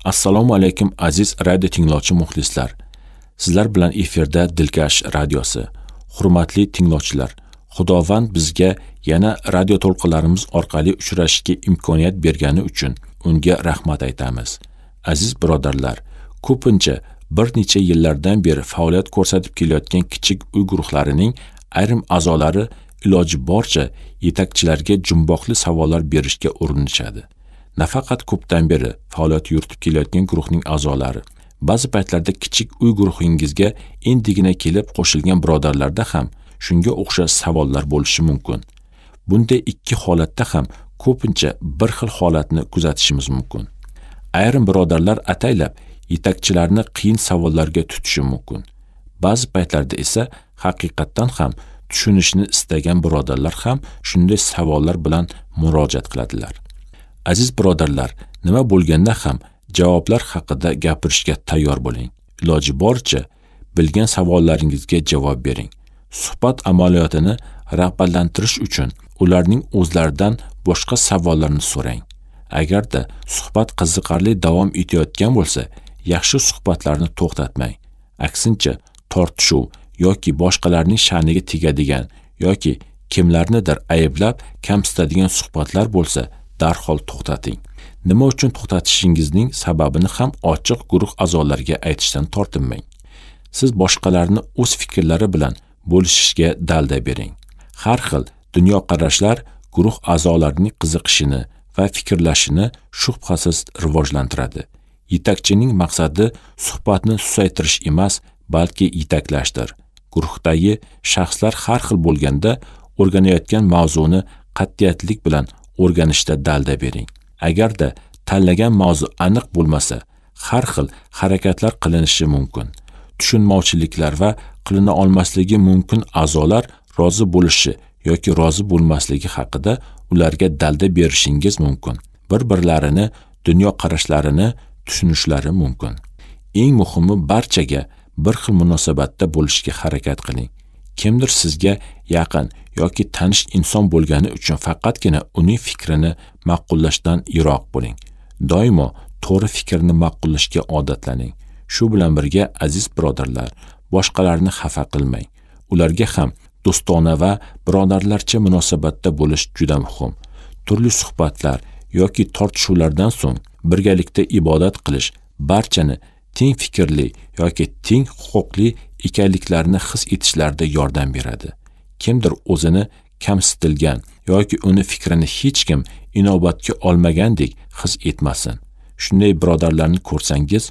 Assalomu alaykum aziz radio tinglovchi muxlislar. Sizlar bilan efirda Dilkash radiosi. Hurmatli tinglovchilar, Xudovand bizga yana radio to'lqinlarimiz orqali uchrashishga imkoniyat bergani uchun unga rahmat aytamiz. Aziz birodarlar, ko'pincha bir necha yillardan beri faoliyat ko'rsatib kelayotgan kichik uy guruhlarining ayrim a'zolari iloji boricha yetakchilarga jumboqli savollar berishga urinishadi. Nafaqat ko'pdan beri faoliyat yuritib kelayotgan guruhning a'zolari, ba'zi paytlarda kichik uy guruhingizga endigina kelib qo'shilgan birodarlarda ham shunga o'xshash savollar bo'lishi mumkin. Bunday ikki holatda ham ko'pincha bir xil holatni kuzatishimiz mumkin. Ayrim birodarlar ataylab yetakchilarni qiyin savollarga tutishi mumkin. Ba'zi paytlarda esa haqiqatdan ham tushunishni istagan birodarlar ham shunday savollar bilan murojaat qiladilar. Aziz birodarlar, nima bo'lganda ham javoblar haqida gapirishga tayyor bo'ling. Iloji boricha bilgan savollaringizga javob bering. Suhbat amaliyotini rag'batlantirish uchun ularning o'zlaridan boshqa savollarni so'rang. Agarda suhbat qiziqarli davom etayotgan bo'lsa, yaxshi suhbatlarni to'xtatmang. Aksincha, tortishuv yoki boshqalarning sha'niga tegadigan yoki kimlarnidir ayblab kamsitadigan suhbatlar bo'lsa, darhol to'xtating. Nima uchun to'xtatishingizning sababini ham ochiq guruh a'zolariga aytishdan tortinmang. Siz boshqalarni o'z fikrlari bilan bo'lishishga dalda bering. Har xil dunyoqarashlar guruh a'zolarining qiziqishini va fikrlashini shubhasiz rivojlantiradi. Yetakchining maqsadi suhbatni susaytirish emas, balki yetaklashdir. Guruhdagi shaxslar har xil bo'lganda o'rganayotgan mavzuni qat'iyatlik bilan o'rganishda dalda bering. Agarda tanlagan mavzu aniq bo'lmasa, har xil harakatlar qilinishi mumkin. Tushunmovchiliklar va qilina olmasligi mumkin a'zolar rozi bo'lishi yoki rozi bo'lmasligi haqida ularga dalda berishingiz mumkin. Bir-birlarini dunyoqarashlarini tushunishlari mumkin. Eng muhimi, barchaga bir xil munosabatda bo'lishga harakat qiling. Kimdir sizga yaqin yoki tanish inson bo'lgani uchun faqatgina uning fikrini ma'qullashdan yiroq bo'ling. Doimo to'g'ri fikrni ma'qullashga odatlaning. Shu bilan birga, aziz birodarlar, boshqalarni xafa qilmang. Ularga ham do'stona va birodarlarcha munosabatda bo'lish juda muhim. Turli suhbatlar yoki tortishuvlardan so'ng birgalikda ibodat qilish barchani teng fikrli yoki teng huquqli ekanliklarini his etishlarida yordam beradi. Kimdir o'zini kamsitilgan yoki uni fikrini hech kim inobatga olmagandek his etmasin. Shunday birodarlarni ko'rsangiz,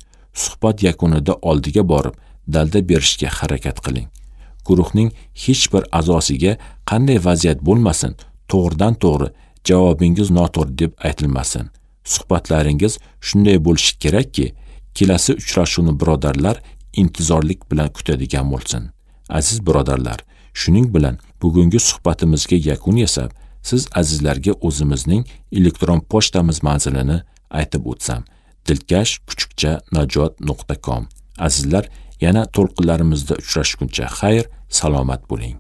suhbat yakunida oldiga borib, dalda berishga harakat qiling. Guruhning hech bir a'zosiga qanday vaziyat bo'lmasin, to'g'ridan to'g'ri javobingiz noto'g'ri deb aytilmasin. Suhbatlaringiz shunday bo'lishi kerakki, kelasi uchrashuvni birodarlar intizorlik bilan kutadigan bo'lsin. Aziz birodarlar, shuning bilan bugungi suhbatimizga yakun yasab, siz azizlarga o'zimizning elektron pochtamiz manzilini aytib o'tsam: dilkash@najot.com. Azizlar, yana to'lqinlarimizda uchrashguncha xayr, salomat bo'ling.